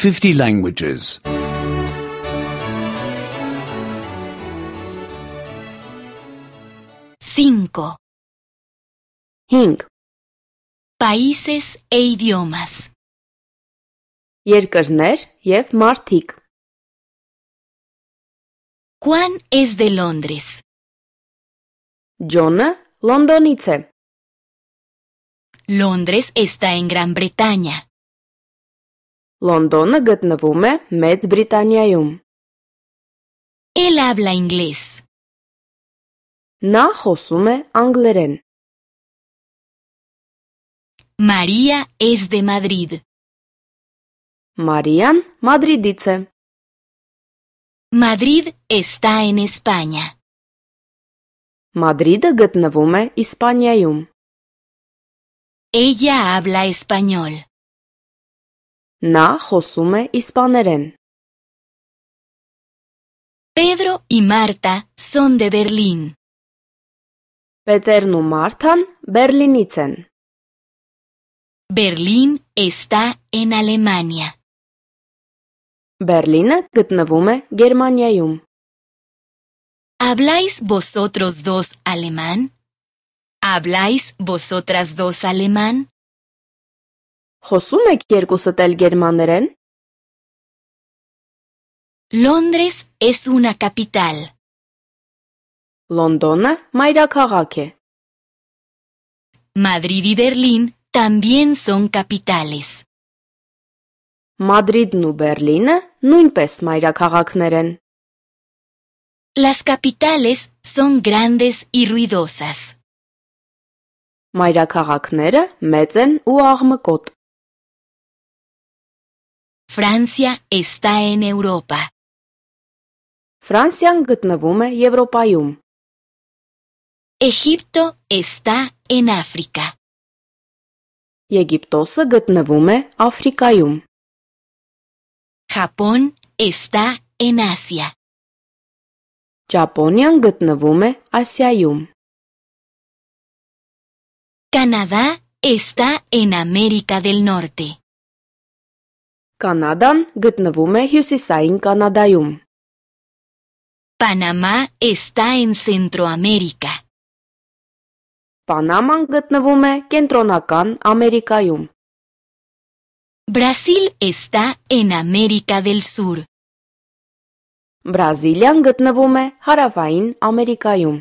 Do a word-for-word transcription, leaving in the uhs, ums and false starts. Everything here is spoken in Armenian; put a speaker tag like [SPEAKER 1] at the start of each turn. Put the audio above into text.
[SPEAKER 1] fifty languages.
[SPEAKER 2] cinco.
[SPEAKER 3] հինգ.
[SPEAKER 2] Países e idiomas.
[SPEAKER 3] Երկրներ և մարդիկ.
[SPEAKER 2] Juan es de Londres.
[SPEAKER 3] Ջոնը Լոնդոնից է.
[SPEAKER 2] Londres está en Gran Bretaña.
[SPEAKER 3] Լոնդոնը գտնվում է Մեծ Բրիտանիայում.
[SPEAKER 2] Él habla inglés.
[SPEAKER 3] Նա խոսում է անգլերեն.
[SPEAKER 2] María es de Madrid.
[SPEAKER 3] Մարիան Մադրիդից է.
[SPEAKER 2] Madrid está en España.
[SPEAKER 3] Մադրիդը գտնվում է Իսպանիայում.
[SPEAKER 2] Ella habla español.
[SPEAKER 3] Նա խոսում է իսպաներեն.
[SPEAKER 2] Pedro y Marta son de Berlín.
[SPEAKER 3] Պետերն ու Մարթան Բերլինից են.
[SPEAKER 2] Berlín está en Alemania.
[SPEAKER 3] Բերլինը գտնվում է Գերմանիայում.
[SPEAKER 2] ¿Habláis vosotros dos alemán? ¿Habláis vosotras dos alemán?
[SPEAKER 3] Խոսում եք երկուսդ էլ գերմաներեն?
[SPEAKER 2] Londres es una capital.
[SPEAKER 3] Լոնդոնը մայրաքաղաք է.
[SPEAKER 2] Madrid y Berlín también son capitales.
[SPEAKER 3] Մադրիդն ու Բերլինը նույնպես մայրաքաղաքներ են.
[SPEAKER 2] Las capitales son grandes y ruidosas.
[SPEAKER 3] Մայրաքաղաքները մեծ են ու աղմկոտ.
[SPEAKER 2] Francia está en Europa.
[SPEAKER 3] Ֆրանսիան գտնվում է Եվրոպայում.
[SPEAKER 2] Egipto está en África.
[SPEAKER 3] Եգիպտոսը գտնվում է Աֆրիկայում.
[SPEAKER 2] Japón está en Asia.
[SPEAKER 3] Ճապոնիան գտնվում է Ասիայում.
[SPEAKER 2] Canadá está en América del Norte.
[SPEAKER 3] Կանադան գտնվում է Հյուսիսային Կանադայում.
[SPEAKER 2] Panamá está en Centroamérica.
[SPEAKER 3] Պանաման գտնվում է Կենտրոնական Ամերիկայում.
[SPEAKER 2] Brasil está en América del Sur.
[SPEAKER 3] Բրազիլիան գտնվում է Հարավային Ամերիկայում.